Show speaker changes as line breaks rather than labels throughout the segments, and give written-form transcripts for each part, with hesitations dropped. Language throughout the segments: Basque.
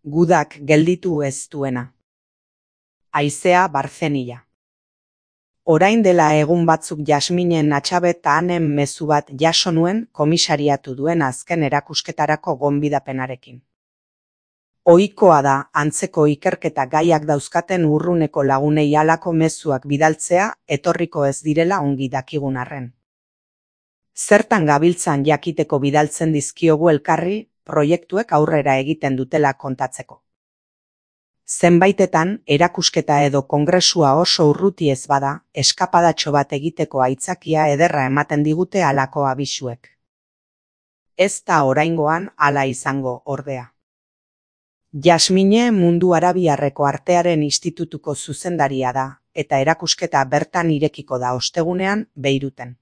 Gudak gelditu ez duena. Haizea Barzenia. Orain dela egun batzuk Jasminen Atxabet ta Anen mezu bat jaso nuen komisariatu duen azken erakusketarako gonbidapenarekin. Ohikoa da antzeko ikerketa gaiak dauzkaten urruneko lagunei halako mezuak bidaltzea etorriko ez direla ongi dakigun arren. Zertan gabiltzan jakiteko bidaltzen dizkiogu elkarri proiektuek aurrera egiten dutela kontatzeko. Zenbaitetan erakusketa edo kongresua oso urruti ez bada, eskapadatxo bat egiteko aitzakia ederra ematen digute halako abisuek. Ez da oraingoan hala izango ordea. Jasmine Mundu Arabiarreko Artearen Institutuko zuzendaria da, eta erakusketa bertan irekiko da ostegunean Beiruten.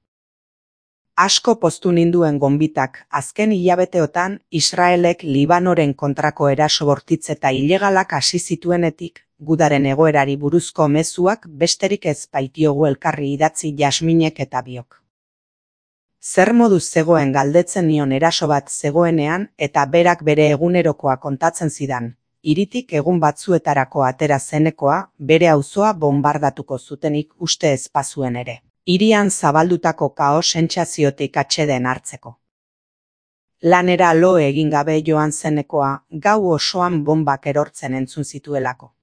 Asko poztu ninduen gonbitak azken hilabeteotan Israelek Libanoren kontrako eraso bortitz eta ilegalak hasi zituenetik, gudaren egoerari buruzko mezuak besterik ez baitiogu elkarri idatzi Jasminek eta biok. Zer moduz zegoen galdetzen nion eraso bat zegoenean eta berak bere egunerokoa kontatzen zidan, hiritik egun batzuetarako atera zenekoa bere auzoa bonbardatuko zutenik uste ez bazuen ere. Hirian zabaldutako kaos sentsaziotik atseden hartzeko. Lanera lo egin gabe joan zenekoa gau osoan bonbak erortzen entzun zituelako.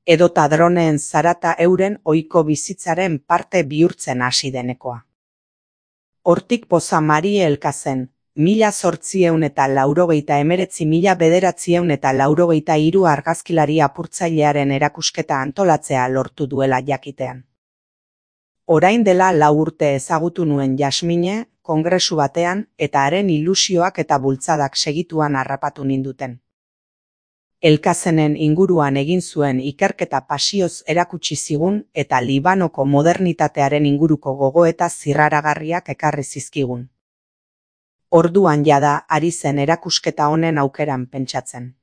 Edota droneen zarata euren ohiko bizitzaren parte bihurtzen hasi denekoa. Hortik poza Marie Elkazen, 1889–1993 argazkilari apurtzailearen erakusketa antolatzea lortu duela jakitean. Orain dela 4 urte ezagutu nuen Jasmine, kongresu batean, eta haren ilusioak eta bultzadak segituan harrapatu ninduten. Elkazenen inguruan egin zuen ikerketa pasioz erakutsi zigun eta Libanoko modernitatearen inguruko gogoeta zirraragarriak ekarri zizkigun. Orduan jada ari zen erakusketa honen aukeran pentsatzen.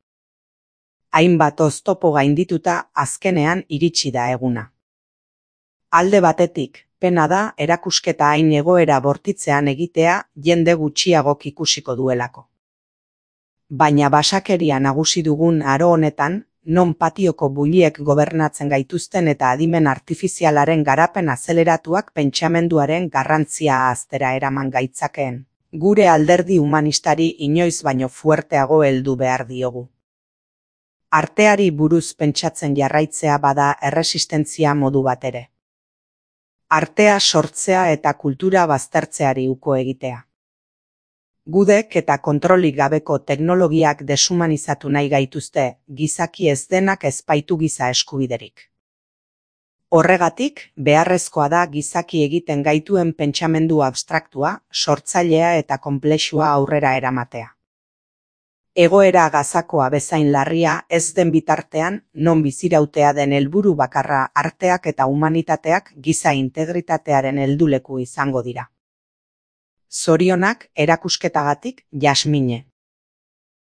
Hainbat oztopo gaindituta azkenean iritsi da eguna. Alde batetik, pena da erakusketa hain egoera bortitzean egitea jende gutxiagok ikusiko duelako. Baina basakeria nagusi dugun aro honetan, non patioko buliek gobernatzen gaituzten eta adimen artifizialaren garapen azeleratuak pentsamenduaren garrantzia ahaztera eraman gaitzakeen, gure alderdi humanistari inoiz baino fuerteago heldu behar diogu. Arteari buruz pentsatzen jarraitzea bada erresistentzia modu bat ere. Artea sortzea eta kultura baztertzeari uko egitea. Gudek eta kontrolik gabeko teknologiak deshumanizatu nahi gaituzte, gizaki ez denak ez baitu giza eskubiderik. Horregatik, beharrezkoa da gizaki egiten gaituen pentsamendu abstraktua, sortzailea eta konplexua aurrera eramatea. Egoera gazakoa bezain larria ez den bitartean, non bizirautea den helburu bakarra arteak eta humanitateak giza integritatearen helduleku izango dira. Zorionak erakusketagatik Jasmine.